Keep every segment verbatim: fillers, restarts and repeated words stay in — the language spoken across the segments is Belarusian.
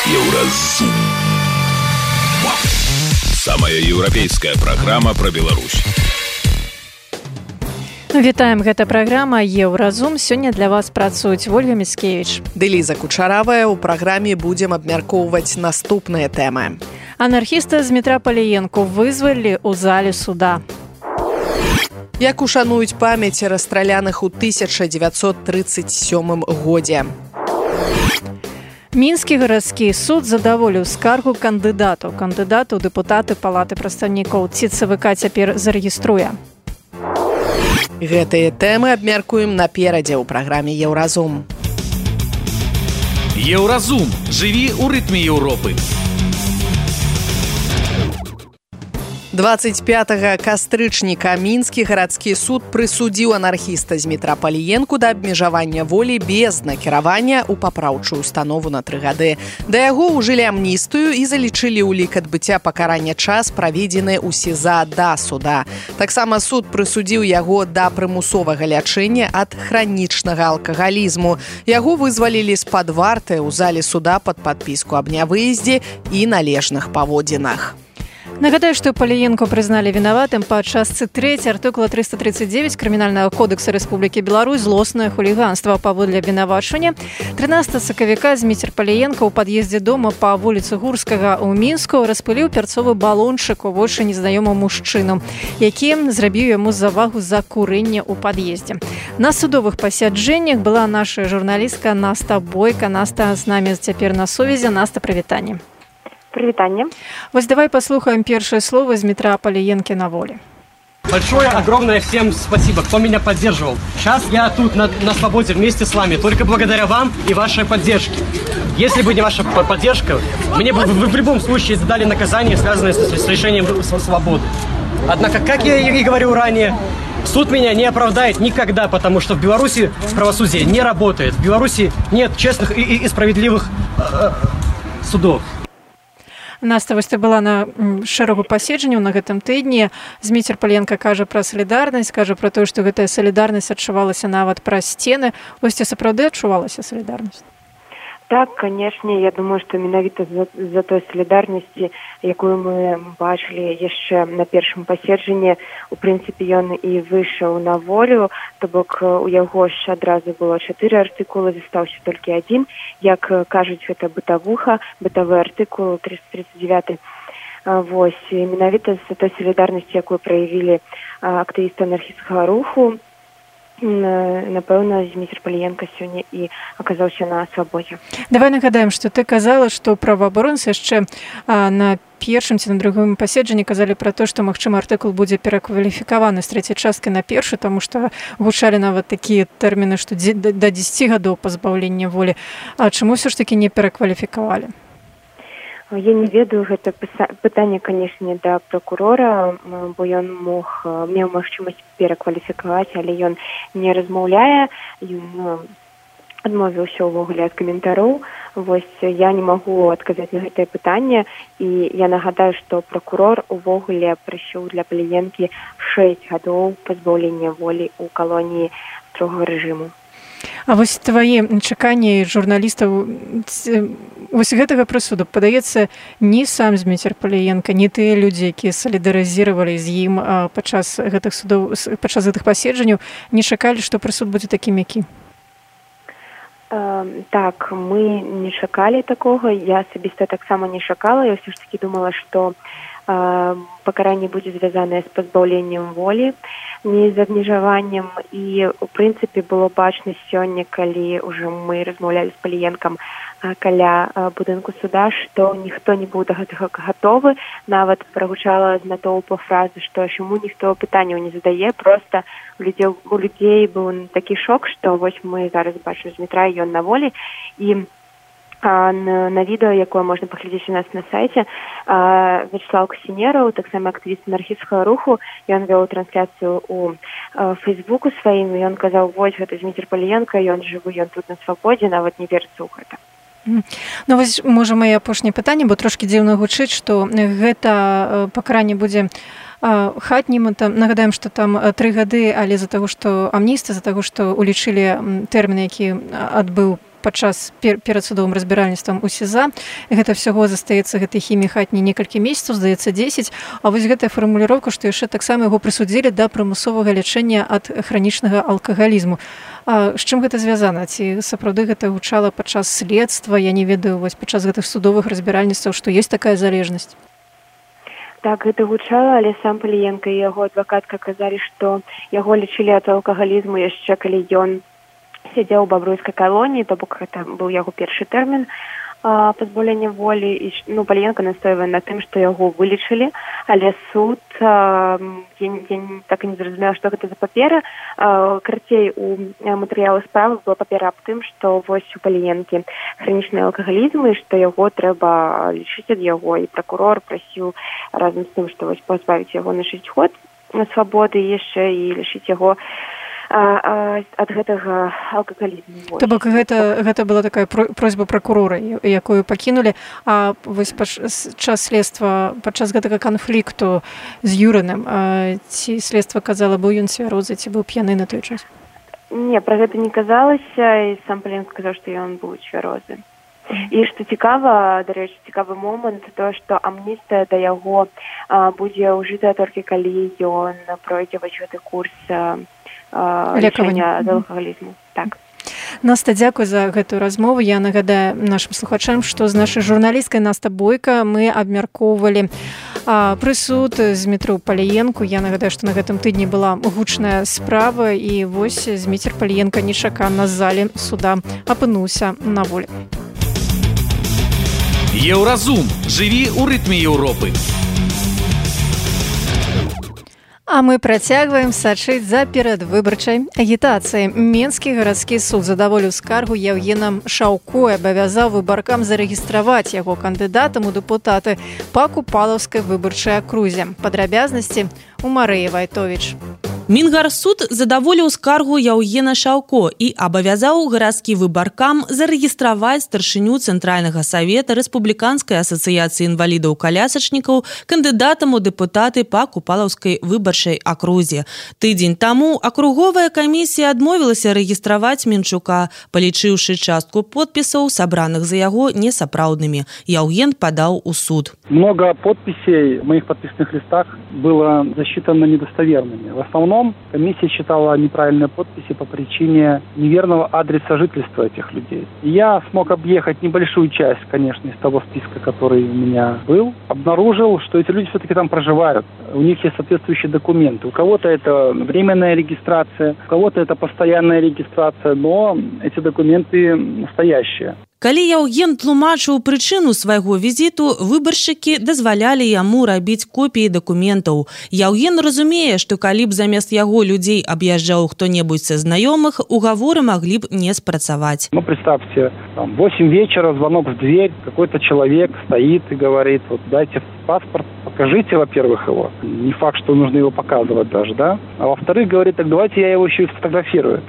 Еўразум. Самая еўрапейская праграма пра Беларусь. Вітаем, гэта праграма Еўразум. Сёння для вас працуюць Ольга Міцкевіч ды Ліза Кучаравая. У праграме будзем абмяркоўваць наступныя тэмы. Анархіста з метра Паліенку вызвалілі ў зале суда. Як ушануюць памяць расстраляных у тысяча дзевяцьсот трыццаць сёмым годзе. Мінскі гарадскі суд задаволіў скаргу кандыдатаў. Кандыдатаў дэпутаты палаты прадстаўнікоў. Ці ЦВК цяпер зарэгіструе? Гэтыя тэмы абмяркуем наперадзе ў праграме Еўразум. Еўразум. Жыві ў рытме Еўропы. дваццаць пятага кастрычніка мінскі гарадскі суд прысудзіў анархіста з метра Паліенку да абмежавання волі без накіравання ў папраўчую установу на тры гады. Да яго ўжылі амністыю і залічылі ў лік адбыцця пакарання час, праведзены ў СІЗА да суда. Таксама суд прысудзіў яго да прымусовага лячэння ад хранічнага алкагалізму. Яго вызвалілі з-пад варты ў зале суда пад падпіску аб нявыездзе і належных паводзінах. Нагадаю, што Паліенку прызналі вінаватым па частцы трэцяй артыкула трыста трыццаць дзевяць Крымінальнага кодекса Рэспублікі Беларусь злоснае хуліганства. Паводле абвінавачвання трынаццатага сакавіка Зміцер Паліенка ў пад'ездзе дома па вуліцы Гурскага ў Мінску распыліў пярцовы балончык у вочы незнаёмаму мужчыну, які зрабіў яму завагу за курэнне ў пад'ездзе. На судовых пасяджэннях была наша журналістка Наста Бойка. Наста з намі цяпер на сувязі. Наста, прывітанне. Привитание. Вот давай послухаем первое слово из метра Палиенки на воле. Большое, огромное всем спасибо, кто меня поддерживал. Сейчас я тут на, на свободе вместе с вами, только благодаря вам и вашей поддержке. Если бы не ваша поддержка, мне бы вы в любом случае задали наказание, связанное с, с лишением свободы. Однако, как я и говорил ранее, суд меня не оправдает никогда, потому что в Беларуси правосудие не работает. В Беларуси нет честных и, и, и справедливых э, судов. Наста, вось ты была на шэрагу паседжанняў на гэтым тыдні. Зміцер Паліенка кажа пра салідарнасць, кажа пра тое, што гэтая салідарнасць адчувалася нават праз сцены. Вось ці сапраўды адчувалася салідарнасць? Так, конечно, я думаю, что менавіта за, за той солидарности, якую мы бачили еще на первом паседжанні, у принципе, ён и вышел на волю, то бок у яго ж адразу было чатыры артыкулы, застаўся толькі адзін, як кажуць, гэта бытавуха, бытавы артыкул триста тридцать девять. Вось, і менавіта за той солидарности, якую проявили актывісты анархістскага руху, напэўна, Зміцер Паліенка сёння і аказаўся на свабодзе. Давай нагадаем, што ты казала, што праваабаронцы яшчэ на першым ці на другім паседжанні казалі пра то, што, магчыма, артыкул будзе перакваліфікаваны з трэцяй часткі на першы, таму што гучалі нават такія тэрміны, што да дзесяці гадоў пазбаўлення волі. А чаму ўсё ж такі не перакваліфікавалі? Я не ведаю, гэта пытанне, канешне, да пракурора, бо ён мог, меў магчымасць перакваліфікаваць, але ён не размаўляе, ён адмовіўся ўвогуле ад каментароў. Вось я не магу адказаць на гэтае пытанне, і я нагадаю, што пракурор увогуле прысуў для Паліенкі шэсць гадоў пазбаўлення волі ў калоніі строгага рэжыму. А вось твае чаканні журналістаў вось гэтага прысуду, падаецца, ні сам Зміцер Паліенка, ні тыя людзі, якія салідарызіравалі з ім падчас гэтых судоў, падчас гэтых паседжанняў, не чакалі, што прысуд будзе такім, які? Так, мы не чакалі такога, я асабіста таксама не чакала, я ўсё ж такі думала, што пакаранне будзе звязанае з пазбаўленнем волі, не з абмежаваннем, і у прынцыпе было бачна сёння, калі ўжо мы размаўлялі з Паліенкам каля будынку суда, што ніхто не быў да гэтага гатовы, нават прагучала з натоўпу фразы, што чаму ніхто пытанняў не задае, проста у людзей, у людзей быў такі шок, што вось мы зараз бачым Змітра, ён на волі, і А на, на відэо, якое можна паглядзець у нас на сайце, а, Вячеслав Касінераў, таксама актывіст анархістскага руху, ён вёў трансляцыю у а, фейсбуку сваім, і ён казаў, вось, гэта Зміцер Паліенка, ён жывы, ён тут на свабодзе, нават не верыцца ў гэта. Ну вось, можа, маё апошняе пытанне, бо трошкі дзіўна гучыць, што гэта пакаранне будзе хатнім. Нагадаем, што там тры гады, але з-за таго, што амністыя, з-за таго, што улічылі тэрмін, які адбыў падчас перад судовым разбіральніцтвам у СІЗА. Гэта всяго застаецца гэтай хіміі хатні некалькі месяцаў, здаецца дзесяць. А вось гэтая фармуліроўка, што яшчэ таксама яго прысудзілі да прымусовага лячэння ад хранічнага алкагалізму. А з чым гэта звязана? Ці сапраўды гэта гучала падчас следства? Я не ведаю, вось падчас гэтых судовых разбіральніцтваў, што ёсць такая залежнасць. Так, гэта гучала, але сам Паліенка і яго адвакатка казалі, што яго лечылі ад алкагалізму яшчэ калі ён сядзеў у бабруйскай калоніі, то бок гэта быў яго першы тэрмін а, пазбаўлення волі. І, ну, Паліенка настойвае на тым, што яго вылечылі, але суд, а, я, я так і не зразумела, што гэта за папера. А, карацей, у матэрыялах справы была папера аб тым, што вось у Паліенкі хранічны алкагалізм і што яго трэба лечыць ад яго. І пракурор прасіў разам з тым, што вось пазбавіць яго на шэсць год свабоды яшчэ і лечыць яго ад гэтага алкагалізму. То бок гэта, гэта была такая просьба пракурора, якую пакінулі, а вось падчас следства, падчас гэтага канфлікту з Юрыным, ці следства казала, быў ён цвярозы, ці быў п'яны на той час? Не, пра гэта не казалася, і сам Паліенка сказаў, што ён быў цвярозы. І што цікава, дарэчы, цікавы момант, то, што амністыя да яго а, будзе ўжытая толькі калі ён пройдзе вось гэты курс а, лечэння ад алкагалізму. Так. Наста, дзякуй за гэтую размову. Я нагадаю нашим слухачам, што з нашай журналісткай Наста Бойка мы абмяркоўвалі а, прысуд Змітру Паліенку. Я нагадаю, што на гэтым тыдні была гучная справа, і вось Зміцер Паліенка нечакана з залі суда апынуўся на волі. Еўразум. Жыві ў рытме Еўропы. А мы працягваем сачыць за перадвыбарчай агітацыяй. Менскі гарадскі суд задаволіў скаргу Яўгена Шаўко і абавязаў выбаркам зарэгістраваць яго кандыдатам у дэпутаты па Купалаўскай выбарчай акрузе. Падрабязнасці у Марыі Вайтовіч. Мінгарсуд задаволіў скаргу Яўгена Шаўко і абавязаў гарадскі выбаркам зарэгістраваць старшыню Цэнтральнага савета Рэспубліканскай асацыяцыі інвалідаў-калясачнікаў кандыдатам у дэпутаты па Купалаўскай выбарчай акрузе. Тыдзень таму акруговая камісія адмовілася рэгістраваць Мінчука, палічыўшы частку подпісаў, сабраных за яго, несапраўднымі. Яўген падаў у суд. Много подписей в моих подписных листах было засчитано недостоверными. В основном комиссия считала неправильные подписи по причине неверного адреса жительства этих людей. И я смог объехать небольшую часть, конечно, из того списка, который у меня был. Обнаружил, что эти люди все-таки там проживают. У них есть соответствующие документы. У кого-то это временная регистрация, у кого-то это постоянная регистрация, но эти документы настоящие. Калі Яўген тлумачыў прычыну свайго візіту, выбаршчыкі дазвалялі яму рабіць копіі дакументаў. Яўген разумее, што калі б замест яго людзей аб'язджаў хто-небудзь са знаёмых, угаворы маглі б не спрацаваць. Ну, представьте, там, восемь вечера, звонок в дверь, какой-то человек стоит и говорит, вот дайте паспорт, покажите, во-первых, его. Не факт, что нужно его показывать даже, да? А во-вторых, говорит, так давайте я его еще и сфотографирую.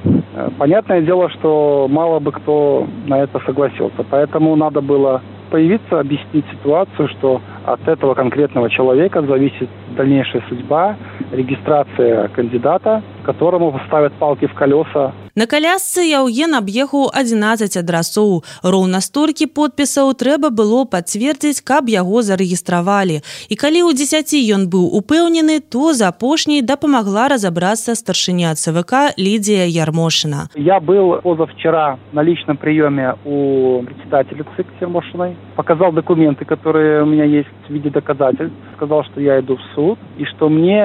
Понятное дело, что мало бы кто на это согласился. Поэтому надо было появиться, объяснить ситуацию, что от этого конкретного человека зависит дальнейшая судьба, регистрация кандидата, которому ставят палки в колеса. На калясцы Яўген аб'ехаў адзінаццаць адрасоў. Роўна столькі подпісаў трэба было пацвердзіць, каб яго зарэгістравалі. І калі ў дзесяці ён быў упэўнены, то за апошняй дапамагла разабрацца старшыня ЦВК Лидия Ярмошина. Я был позавчера на личном приеме у председателя ЦИК Ярмошиной. Показал документы, которые у меня есть в виде доказательств. Сказал, что я иду в суд и что мне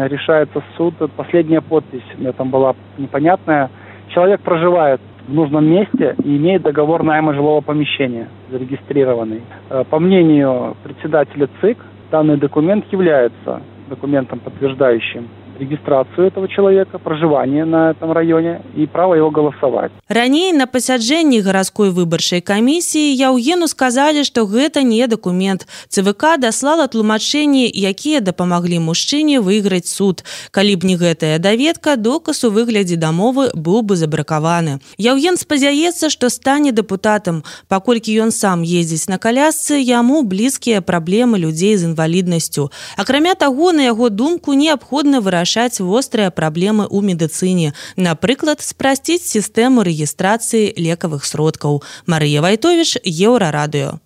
решается суд. Последняя подпись у меня там была непонятная. Человек проживает в нужном месте и имеет договор найма жилого помещения, зарегистрированный. По мнению председателя ЦИК, данный документ является документом, подтверждающим регистрацию этого человека, проживание на этом районе и право его голосовать. Раней на пасяджэнні гарадской выбарчай камісіі Яўгену сказалі, што гэта не дакумент. ЦВК даслала тлумачэнні, якія дапамаглі мужчыне выйграць суд. Калі б не гэтая даведка, доказ у выглядзе дамовы быў бы забракаваны. Яўген спадзяецца, што стане дэпутатам. Паколькі ён сам ездзіць на калясцы, яму блізкія праблемы людзей з інваліднасцю. Акрамя таго, на яго думку, неабходна вырашаць вырашаць вострыя праблемы ў медыцыне. Напрыклад, спрасціць сістэму рэгістрацыі лекавых сродкаў. Марыя Вайтовіч, Еўрарадыё.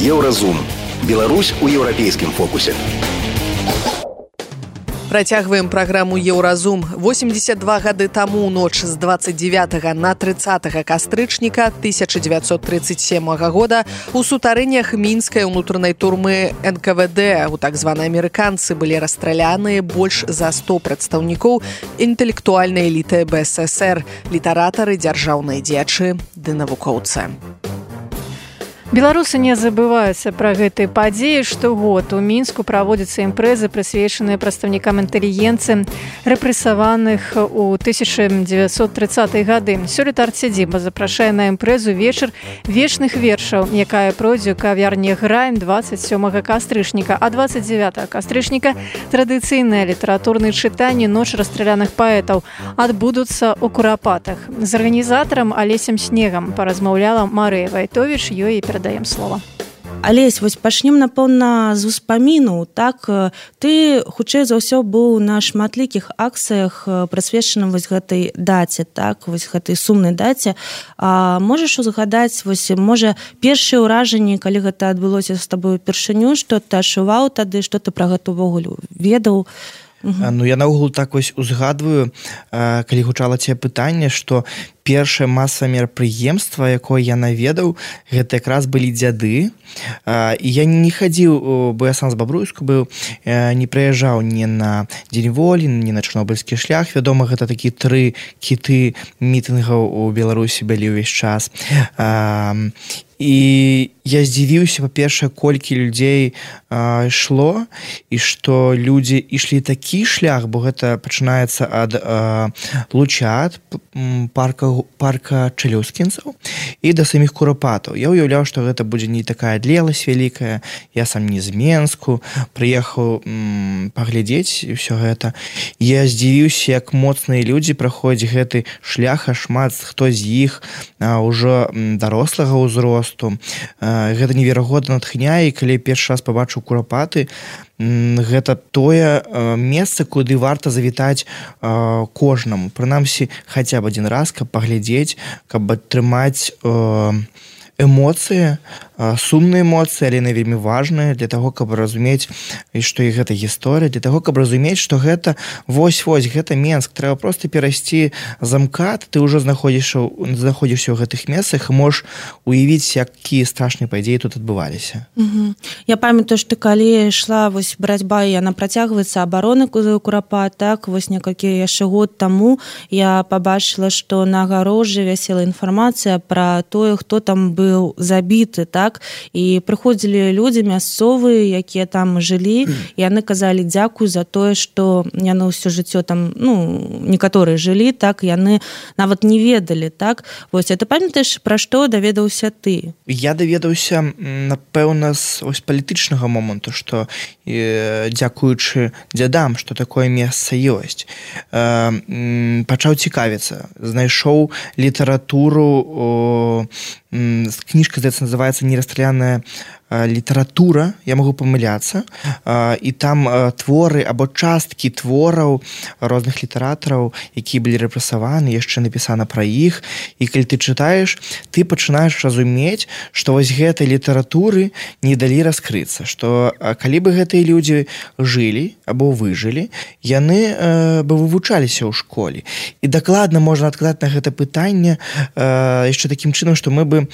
Еўразум. Беларусь у еўрапейскім фокусе. Працягваем праграму «Еўразум». восемьдесят два гады таму ў ноч з двадцать девятага на тридцатага кастрычніка тысяча девятьсот тридцать седьмого года у сутарэннях мінскай унутранай турмы эн ка вэ дэ у так званай амерыканцы былі расстраляныя больш за сто прадстаўнікоў інтэлектуальнай эліты бэ эс эс эр, літаратары, дзяржаўныя дзеячы ды навукоўцы. Беларусы не забываюцца пра гэтыя падзеі. Штогод у Мінску праводзяцца імпрэзы, прысвечаныя прадстаўнікам інтэлігенцыі, рэпрэсаваных у тысяча девятьсот тридцатыя гады. Сёлета арцядзіба запрашае на імпрэзу вечар вечных вершаў, якая пройдзе ў кавярні «Грайм» двадцать сёмага кастрычніка, а двадцать девятага кастрычніка традыцыйныя літаратурныя чытанні «Ноч расстраляных паэтаў» адбудуцца ў Курапатах. З арганізатарам Алесем Снегам паразмаўляла Марыя Вайтовіч, ёй і перадаем слова. Алесь, вось пачнем, напэўна, з успаміну. Так, ты, хутчэй за ўсё, быў на шматлікіх акцыях, прысвечаных вось гэтай даце, так, вось гэтай сумнай даце. А можаш узгадаць, вось, можа, першыя ўражанні, калі гэта адбылося з табой упершыню, што ты адчуваў тады, што ты пра гэта ўвогуле ведаў? Uh-huh. Ну, я наогул так вось узгадваю, калі гучала тебе пытанне, што першае масавае мерапрыемства, якое я наведаў, гэта якраз былі дзяды. І я не хадзіў, бо я сам з Бабруйску быў, не прыязджаў ні на Дзень волі, ні на Чарнобыльскі шлях. Вядома, гэта такі тры кіты мітынгаў у Беларусі былі ўвесь час. І я здзівіўся, па-першае, колькі людзей а, ішло, і што людзі ішлі такі шлях, бо гэта пачынаецца ад а, Лучат, парка, парка Чалёўскінцаў і да саміх Курапатаў. Я ўяўляў, што гэта будзе не такая адлегласць вялікая. Я сам не з Менску, прыехаў м, паглядзець ўсё гэта. Я здзівіўся, як моцныя людзі праходзяць гэты шлях, а шмат хто з іх а, ўжо м, дарослага ўзросту. Гэта неверагодна натхняе, і калі першы раз пабачыў Курапаты, гэта тое месца, куды варта завітаць кожнаму. Прынамсі, хаця б адзін раз, каб паглядзець, каб атрымаць эмоцыі, сумныя эмоцыі, але яны вельмі важныя для таго, каб разумець, што і гэта гісторыя, для таго, каб разумець, што гэта вось-вось, гэта Менск. Трэба проста перайсці замкат, ты ўжо знаходзішся, знаходзішся ў гэтых месцах і можаш уявіць, якія страшныя падзеі тут адбываліся. Угу. Я памятаю, што калі ішла вось барацьба, яна працягваецца, абароны Курапат, так, вось некалькі яшчэ год таму я пабачыла, што на агарожы вісела інфармацыя пра тое, хто там быў забіты, так, і прыходзілі людзі мясцовыя, якія там жылі, і яны казалі дзякуй за тое, што яны ўсё жыццё там, ну, некаторыя жылі, так, яны нават не ведалі, так. Вось, а ты памятаеш, пра што даведаўся ты? Я даведаўся, напэўна, з ось палітычнага моманту, што э, дзякуючы дзядам, што такое месца ёсць. Э, пачаў цікавіцца, знайшоў літаратуру, о, кніжка, здаецца, называецца «Нерасстраляная літаратура», я магу памыляцца, і там творы або часткі твораў розных літаратараў, якія былі рэпрэсаваны, яшчэ напісана пра іх, і калі ты чытаеш, ты пачынаеш разумець, што вось гэтай літаратуры не далі раскрыцца, што калі бы гэтыя людзі жылі або выжылі, яны бы вывучаліся ў школе. І дакладна можна адказаць на гэта пытанне яшчэ такім чынам, што мы бы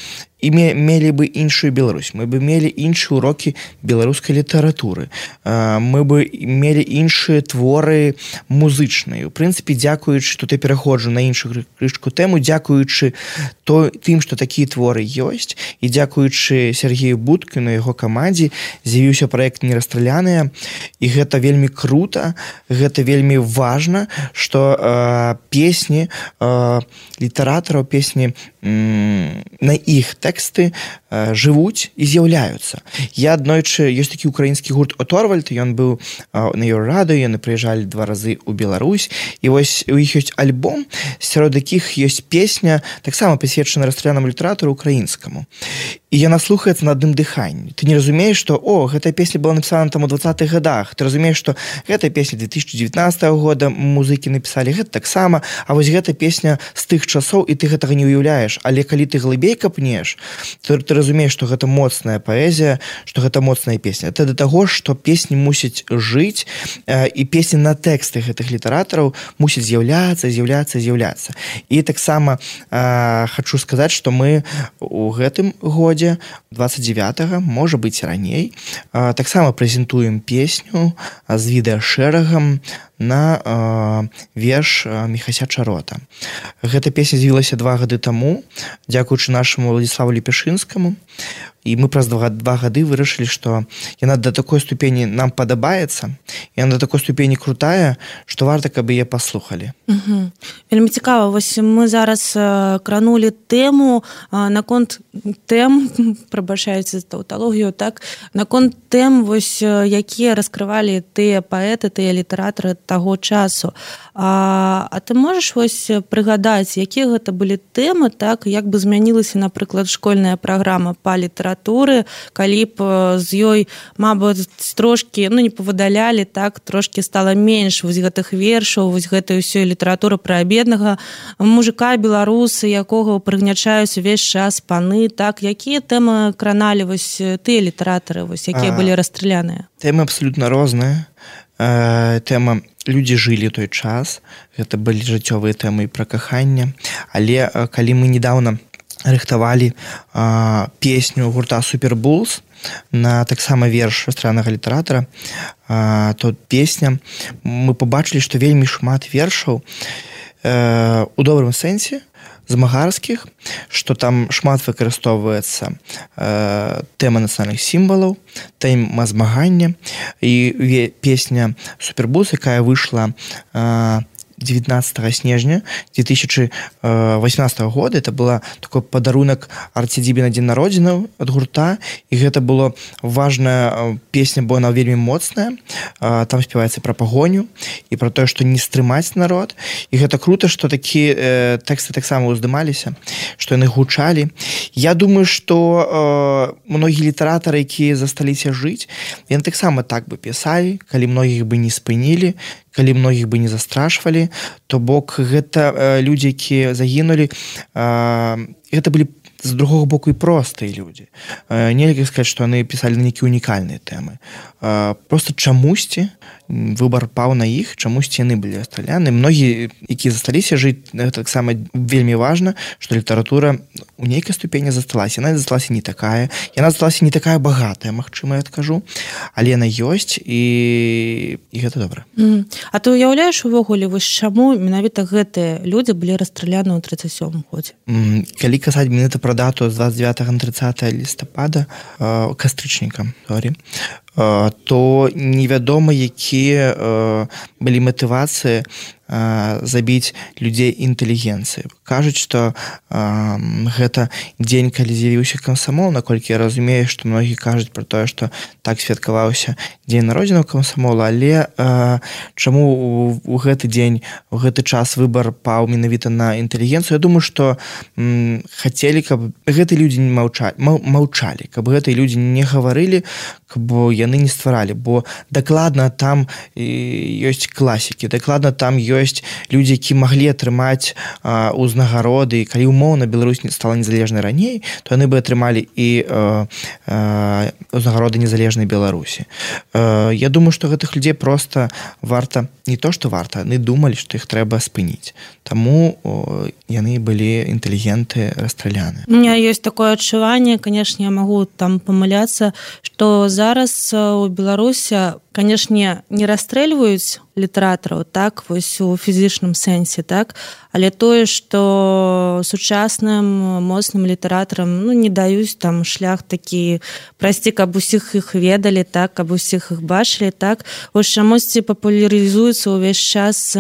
і мелі бы іншую Беларусь, мы бы мелі іншыя урокі беларускай літаратуры, мы бы мелі іншыя творы музычныя. У прынцыпе, дзякуючы, тут я пераходжу на іншую крышку тэму, дзякуючы то, тым, што такія творы ёсць, і дзякуючы Сергею Будкіну і яго камандзе з'явіўся праект «Нерасстраляная», і гэта вельмі крута, гэта вельмі важна, што э, песні э, літаратараў, песні э, на іх тэксты э, жывуць і з'яўляюцца. Я аднойчы, ёсць такі украінскі гурт «Оторвальд», ён быў э, на Еўрарадыё, яны прыязджалі два разы ў Беларусь, і вось у іх ёсць альбом, сярод якіх ёсць песня, таксама прысвечана расстралянаму літаратару украінскаму. і яна слухаецца на адным дыханні. Ты не разумееш, што о, гэтая песня была напісана там у двадцатых годах. Ты разумееш, што гэтая песня две тысячи девятнадцатого года музыкі напісалі гэта таксама, а вось гэта песня з тых часоў, і ты гэтага не ўяўляеш. Але калі ты глыбей капнеш, то ты разумееш, што гэта моцная паэзія, што гэта моцная песня. Это да таго, што песні мусяць жыць, і песні на тэксты гэтых літаратараў мусяць з'яўляцца, з'яўляцца, з'яўляцца. І таксама э, хачу сказаць, што мы у гэтым годзе двадцать девятого, можа быць раней, э, таксама прэзентуем песню з відэашэрагам на э, верш Міхася Чарота. Гэта песня з'явілася два гады таму, дзякуючы нашаму Владиславу Лепешынскаму. І мы праз два, два гады вырашылі, што яна да такой ступені нам падабаецца, яна да такой ступені крутая, што варта, каб яе паслухалі. Угу. Вельмі цікава, вось мы зараз э, кранулі тэму э, наконт тэм, прабачаюць таўталогію, так, наконт тэм, вось, э, якія раскрывалі тыя паэты, тыя літаратары таго часу. А, а ты можаш вось прыгадаць, якія гэта былі тэмы, так, як бы змянілася, напрыклад, школьная праграма па літаратуры, калі б з ёй, мабыць, трошкі, ну, не павыдалялі, так, трошкі стала менш вось гэтых вершаў, вось гэтай усёй літаратуры пра беднага мужика беларуса, якога прыгнячаюць увесь час паны, так, якія тэмы краналі вось тыя літаратары, вось, якія а, былі расстраляныя? Тэмы абсалютна розныя. Тэма «Людзі жылі той час», гэта былі жыццёвыя тэмы пра каханне, але калі мы недавно рыхтавалі а, песню гурта Супербулс на таксама верш расстралянага літаратара, а, то песня, мы пабачылі, што вельмі шмат вершаў э, у добрым сэнсе, змагарскіх, што там шмат выкарыстоўваецца э, тэма нацыянальных сімвалаў, тэма змагання, і песня Супербулс, якая выйшла э, девятнадцатого снежня две тысячи восемнадцатого года, это была такой подарунок Арцідзібе на дзень народзінаў ад гурта, і гэта была важная песня, бо она вельмі моцная, там спяваецца пра пагоню і пра тое, што не стрымаць народ, і гэта круто, што такія э, тэксты таксама ўздымаліся, што яны гучалі. Я думаю, што э, многія літаратары, якія засталіся жыць, яны таксама так бы пісалі, калі многіх бы не спынілі, калі многіх бы не застрашвалі, то бок гэта э, людзі, якія загінулі, э, гэта былі з другого боку і простыя людзі. Э, нельга сказаць, што яны пісалі на нейкія унікальныя тэмы. Э, просто чамусьці выбар паў на іх, чамусьці яны былі расстраляны. Многія, якія засталіся жыць, таксама вельмі важна, што літаратура у нейкай ступені засталася. Яна засталася не такая, яна засталася не такая багатая, магчыма, я адкажу, але яна ёсць, і, і гэта добра. Mm. А ты уяўляеш увогуле, вось чаму менавіта гэтыя людзі былі расстраляны ў тридцать сёмым годзе? Mm. Калі казаць менавіта пра дату з двадцать девятого на тридцатое лістапада, э, кастрычніка, sorry, э, то невядома, якія э, былі матывацыі э, забіць людзей інтэлігенцыі. Кажуць, што э, гэта дзень, калі з'явіўся камсамол, наколькі я разумею, што многія кажуць пра тое, што так святкаваўся дзень народзінаў камсамола, але э, чаму у, у гэты дзень, у гэты час выбар паў менавіта на інтэлігенцыю? Я думаю, што м, хацелі, каб гэтыя людзі не маўчалі, маўчалі, каб гэтыя людзі не гаварылі, каб яны не стваралі, бо дакладна там ёсць класікі, дакладна там ёсць людзі, які маглі атрымаць а, узнагароды, і калі умоўна Беларусь стала незалежнай раней, то яны бы атрымалі і а, а, узнагароды незалежнай Беларусі. А, я думаю, што гэтых людзей проста варта, не то што варта, яны думалі, што іх трэба спыніць. Таму о, яны былі інтэлігенты расстраляны. У меня ёсць такое адчуванне, канешне, я магу там памыляцца, што зараз у Беларусі, канешне, не расстрэльваюць літаратараў, так, вось у фізічным сэнсе, так, але тое, што сучасным моцным літаратарам, ну, не даюць там шлях такі прасці, каб усіх іх ведалі, так, каб усіх іх бачылі, так, вось чамусьці папулярызуецца ўвесь час,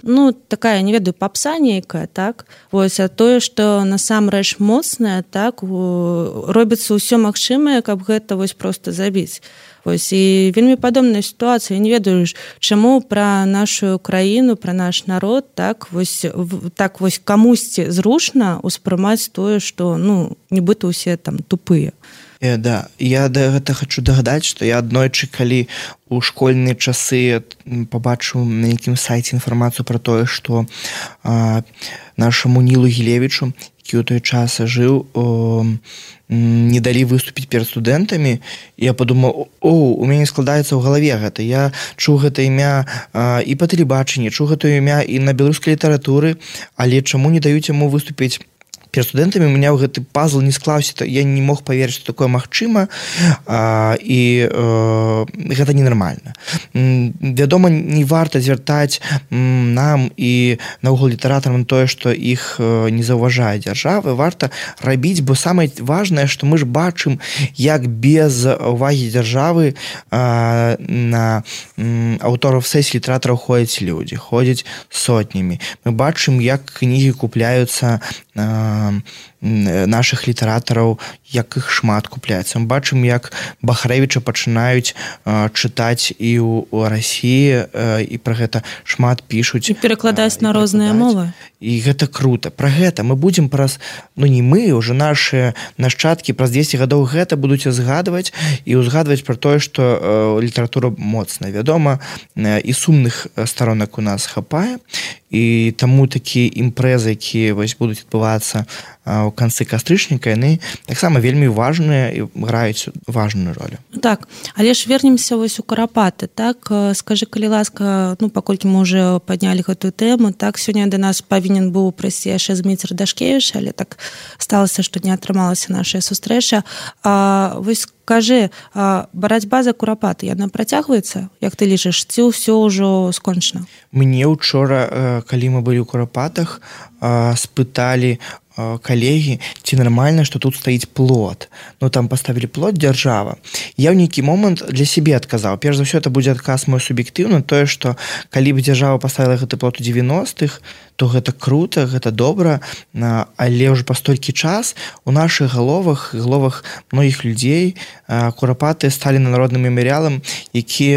ну, такая, не ведаю, папса нейкая, так, вось, а тое, што насамрэч моцнае, так, робіцца ўсё магчымае, каб гэта вось проста забіць. Вось, і вельмі падобная сітуацыя. Я не ведаю, чаму пра нашу краіну, пра наш народ так вось, так вось камусьці зручна ўспрымаць тое, што ну, нібыта ўсе там тупыя. Э, да, я да гэта хочу дагадаць, што я аднойчы, калі у школьныя часы пабачыў на якім сайце інфармацыю пра тое, што а, нашаму Нілу Гілевічу, які ў той час жыў, о, не далі выступіць перад студэнтамі, я падумаў, о, у мяне складаецца ў галаве гэта. Я чуў гэта імя а, і па тэлебачанні, чуў гэта імя і на беларускай літаратуры, але чаму не даюць яму выступіць перед студэнтамі? У меня гэты пазл не склаўся, я не мог паверыць, што такое магчыма, а, і а, гэта ненармальна. Вядома, не варта звяртаць нам і наогул літаратарам тое, што іх не заўважае дзяржава, варта рабіць, бо самае важнае, што мы ж бачым, як без увагі дзяржавы а, на аўтораў сесій літаратараў ходзяць людзі, ходзяць сотнямі. Мы бачым, як кнігі купляюцца а, наших літаратараў, як іх шмат купляецца. Мы бачым, як Бахарэвіча пачынаюць а, чытаць і ў Расіі, а, і пра гэта шмат пішуць. І перакладаць на розныя мовы. І гэта круто. Пра гэта мы будзем праз, ну не мы, уже наши нашчадкі праз дзесяць гадоў гэта будуць згадваць і ўзгадваць пра тое, што а, літаратура моцная. Вядома, а, і сумных старонак у нас хапае, і таму такія імпрэзы, якія вось будуць адбывацца у канцы кастрычніка, яны таксама вельмі важныя і граюць важную ролю. Так, але ж вернемся вось у Курапаты, так? Скажы, калі ласка, ну, паколькі мы уже паднялі гэтую тэму, так, сёння да нас павінен быў прыйсці яшчэ Зміцер Дашкевіч, але так сталася, што не атрымалася наша сустрэча. А, вось скажы, а, барацьба за Курапаты, яна працягваецца, як ты лічыш, ці ўсё ўжо скончана? Мне учора, калі мы былі ў Курапатах, спыталі калегі, ці нармальна, што тут стаіць плот. Ну, там паставілі плот дзяржава. Я ў нейкі момант для сябе адказаў. Перш за ўсё, это будзе адказ мой суб'ектыўны, тое, што калі б дзяржава паставіла гэты плот у дзевяностых, то гэта круто, гэта добра, але ўжо па столькі час у нашых галовах, галовах многіх людзей Курапаты сталі народным мемарыялам, які,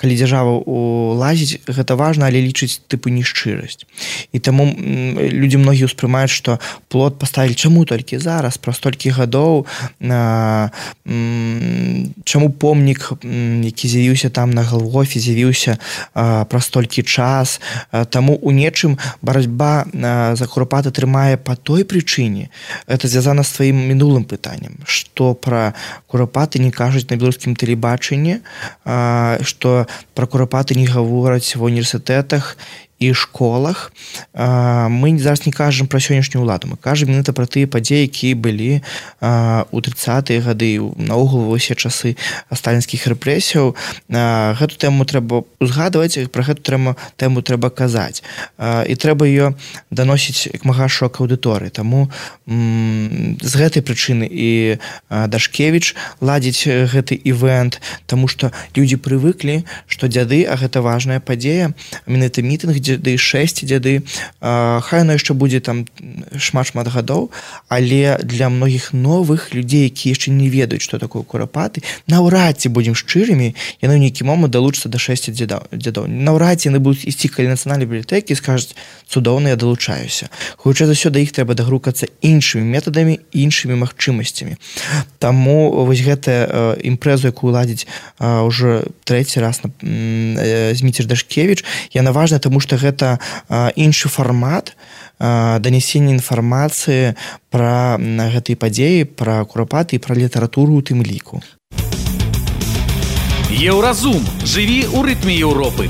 калі дзяржава улазіць, гэта важна, але лічыць тыпу нешчырасць. І таму людзі многія ўспрымаюць, што плот паставілі чаму толькі зараз, праз столькі гадоў, чаму помнік, які з'явіўся там на Галгофе, з'явіўся праз столькі час, таму у нечым барацьба за Курапаты трымае па той прычыне. Это звязана з тваім мінулым пытаннем, што пра Курапаты не кажуць на беларускім тэлебачанні, што пра Курапаты не гавораць ва універсітэтах і школах. Мы зараз не кажам пра сённяшнюю ўладу, мы кажам менавіта пра тыя падзеі, якія былі у трыццатыя гады, наогул ва ўсе часы сталінскіх рэпрэсіяў. Гэту тэму трэба узгадваць, пра гэту тэму трэба казаць. І трэба ее даносіць як мага шок аўдыторыі. Таму з гэтай прычыны і Дашкевіч ладзіць гэты івент, таму што людзі прывыклі, што дзяды, а гэта важная падзея, менавіта мітынг дзяды, шэсць дзяды, хай оно яшчэ будзе там шмат-шмат гадоў, але для многіх новых людзей, якія яшчэ не ведаюць, што такое Курапаты, наўрад ці будзем шчырымі, яны ў нейкі момант далучацца да шэсці дзядоў. Наўрад ці яны будуць ісці каля нацыянальнай бібліятэкі і скажуць, цудоўна, я далучаюся. Хутчэй за ўсё, да іх трэба дагрукацца іншымі метадамі, іншымі магчымасцямі. Таму вось гэтая імпрэзу, якую ладзіць ўжо трэці раз Зміцер Дашкевіч, яна важная, таму што гэта іншы фармат данесення інфармацыі пра гэтыя падзеі, пра Курапаты і пра літаратуру ў тым ліку. Еўразум. Жыві ў рытме Еўропы.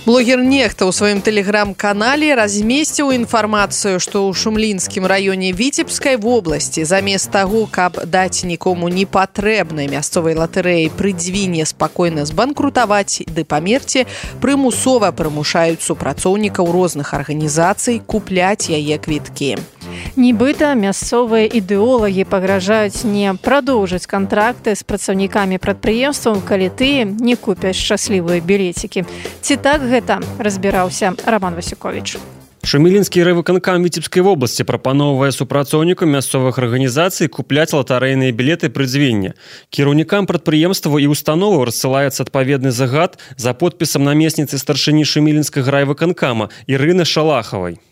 Блогер Нехта ў сваім тэлеграм-канале размесціў інфармацыю, што ў Шумлінскім раёне Віцебскай вобласці замест таго, каб даць нікому непатрэбнай мясцовай латарэі прыдзвіне спакойна збанкрутаваць ды памерці, прымусова прымушаюць супрацоўнікаў розных арганізацый купляць яе квіткі. Нібыта мясцовыя ідэолагі пагражаюць не прадоўжыць кантракты з працаўнікамі прадпрыемстваў, калі тыя не купяць шчаслівыя білецікі. Ці так гэта, разбіраўся Роман Васюковіч. Шумілінскі райвыканкам Віцебскай вобласці прапаноўвае супрацоўнікам мясцовых арганізацый купляць латарэйныя білеты прыдзвення. Кіраўнікам прадпрыемстваў і установаў рассылаецца адпаведны загад за подпісам намесніцы старшыні Шумілінскага райвыканкама Ірыны Шалахавай.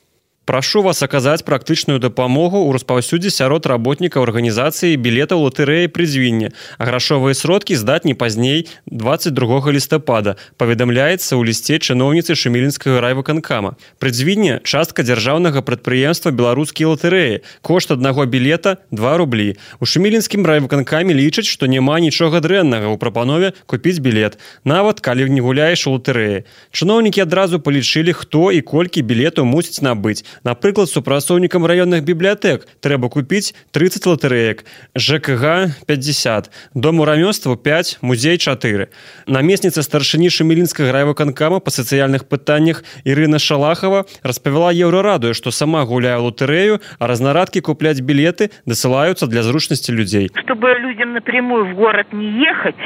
Прашу вас аказаць практычную дапамогу ў распаўсюдзе сярод работнікаў арганізацыі білетаў латарэі прыдзвення, а грашовыя сродкі здаць не пазней дваццаць другога лістапада, паведамляецца ў лісце чыноўніцы Шумілінскага райвыканкама. Прыдзвення – частка дзяржаўнага прадпрыемства беларускія латарэі. Кошт аднаго білета – два рублі. У Шумілінскім райвыканкаме лічаць, што няма нічога дрэннага ў прапанове купіць білет, нават калі не гуляеш у латарэі. Чыноўнікі адразу палічылі, хто і колькі білетаў мусіць набыць. Напрыклад, супрацоўнікам раённых бібліятэк трэба купіць трыццаць латарэек, ЖКГ – пятьдесят, Дому рамёстваў пять, музей чатыры. Намесніца старшыні Шумілінскага райвыканкама па сацыяльных пытаннях Ірына Шалахава распавяла Еўрарадыё, што сама гуляе ў латарэю, а разнарадкі купляць білеты дасылаюцца для зручнасці людзей. Чтобы людям напрямую в город не ехать,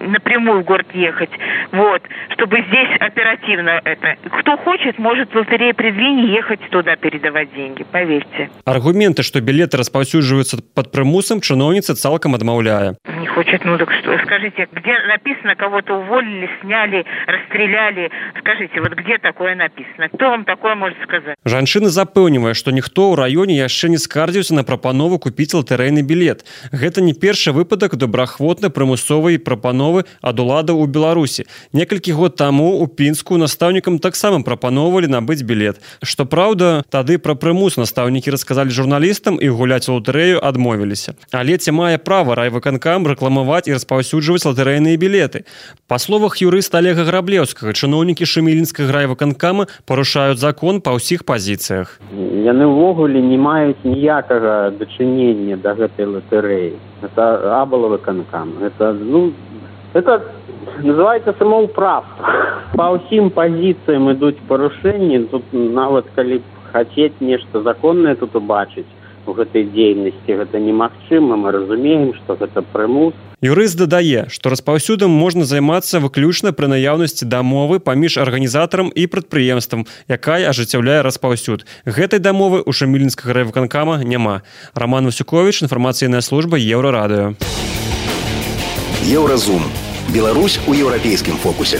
напрямую в город ехать, вот, чтобы здесь оперативно это. Кто хочет, может в лотерее придвинь ехать туда передавать деньги, поверьте. Аргументы, что билеты распаўсюджваюцца под прымусам, чыноўніца цалкам адмаўляе. Не хочет, ну так что, скажите, где написано, кого-то уволили, сняли, расстреляли, скажите, вот где такое написано? Кто вам такое может сказать? Жанчына запэўнівае, што ніхто ў раёне яшчэ не скардзіўся на прапанову купіць латарэйны білет. Гэта не першы выпадак добраахвотнай прымусовай прапановы ад уладаў у Беларусі. Некалькі год таму у Пінску настаўнікам таксама прапаноўвалі набыць білет. Што праўда, тады пра прымус настаўнікі расказалі журналістам і гуляць у латарэю адмовіліся. Але ці мае права райвыканкам рэкламаваць і распаўсюджваць латарэйныя білеты? Па словах юрыста Олега Граблеўскага, чыноўнікі Шумілінскага райвыканкама парушаюць закон па ўсіх пазіцыях. Яны ўвогуле не маюць ніякага дачынення да гэтай латарэі. Это абалавыканкам. Это, ну, это называется самоуправство. По ўсім пазіцыям ідуць парушэнні. Тут нават калі хацець нешта законнае тут убачыць у гэтай дзейнасці, гэта немагчыма. Мы разумеем, што гэта прымус. Юрыст дадае, што распаўсюдам можна займацца выключна пры наяўнасці дамовы паміж арганізатарам і прадпрыемствам, якая ажыццяўляе распаўсюд. Гэтай дамовы ў Шумілінскага райвыканкама няма. Роман Васюкович, інфармацыйная служба Еўрарадыё. Еўразум. Беларусь у еўрапейскім фокусе.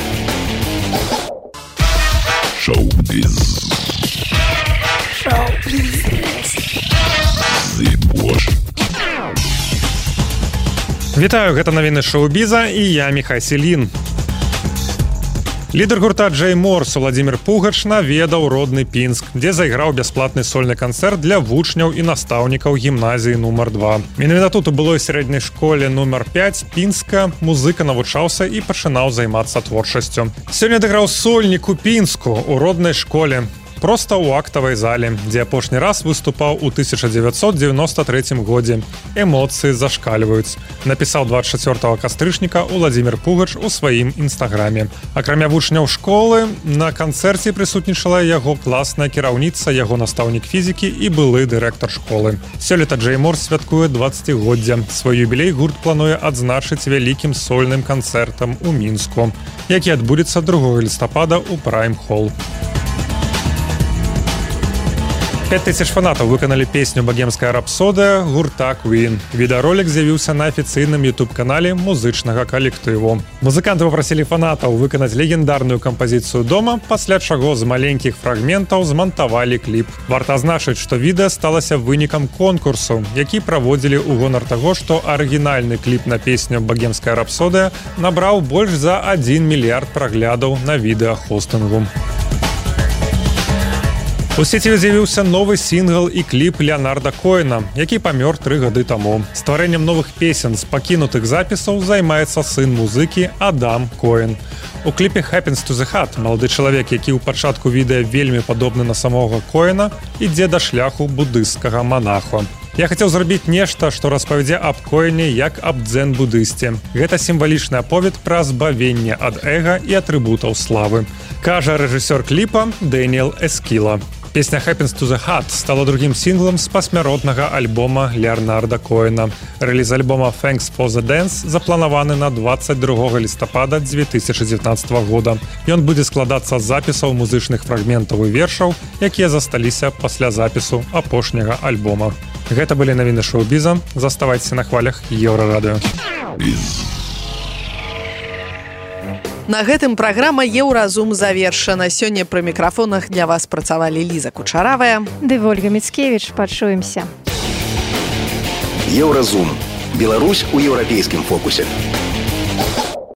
Шоу-біз. Шоу-біз. Зыбош. Вітаю, гэта навіны шоу-біза і я Міхай Селін. Лідар гурта Джей Морс Владзімір Пугач наведаў родны Пінск, дзе зайграў бясплатны сольны канцэрт для вучняў і настаўнікаў гімназіі нумар два. Менавіта тут у былой сярэдняй школе нумар пять Пінска музыка навучаўся і пачынаў займацца творчасцю. Сёння адыграў сольнік у Пінску у роднай школе. Проста ў актавай зале, дзе апошні раз выступаў у тысяча дзевяцьсот дзевяноста трэцім годзе. Эмоцыі зашкальваюць. Напісаў двадцать чацвёртага кастрычніка Владзімір Пугач у сваім інстаграме. Акрамя вучняў школы, на канцэрце прысутнічала яго класная кіраўніца, яго настаўнік фізікі і былы дырэктар школы. Сёлета Джей Морс святкуе дваццацігоддзя. Свой юбілей гурт плануе адзначыць вялікім сольным канцэртам у Мінску, які адбудзецца другога лістапада ў Прайм-Холл. пять тысяч фанатаў выканалі песню «Багемская рапсодыя» гурта Queen. Відэаролік з'явіўся на афіцыйным ютуб-канале музычнага калектыву. Музыканты папрасілі фанатаў выканаць легендарную кампазіцыю дома, пасля чаго з маленькіх фрагментаў змантавалі кліп. Варта азначыць, што відэа сталася вынікам конкурсу, які праводзілі ў гонар таго, што арыгінальны кліп на песню «Багемская рапсодыя» набраў больш за адзін мільярд праглядаў на відэахостынгу. У сеціве з'явіўся новы сінгл і кліп Леонарда Коэна, які памёр тры гады таму. Стварэннем новых песен з пакінутых запісаў займаецца сын музыкі Адам Коэн. У кліпе «Happens to the Heart» малады чалавек, які ў пачатку відэа вельмі падобны на самога Коэна, ідзе да шляху будысцкага монаху. Я хацеў зрабіць нешта, што распавядзе аб Коэне як аб дзен-будысце. Гэта сімвалічны аповед пра збавенне ад эга і атрыбутаў славы, кажа рэжысёр кліпа Дэніэл Эскіла. Песня «Happens to the Heart» стала другим синглом з пасмяротнага альбома Леонарда Коэна. Рэліз альбома «Thanks for the Dance» запланаваны на двадцать другога лістапада дзве тысячы дзевятнаццатага года. Ён будзе складацца з запісаў музычных фрагментаў і вершаў, якія засталіся пасля запісу апошняга альбома. Гэта былі навіны шоу-біза. Заставайцеся на хвалях Еўрарадыё. На гэтым праграма «Еўразум» завершана. Сёння пры мікрафонах для вас працавалі Ліза Кучаравая ды Вольга Міцкевіч. Пачуемся. Еўразум. Беларусь у еўрапейскім фокусе.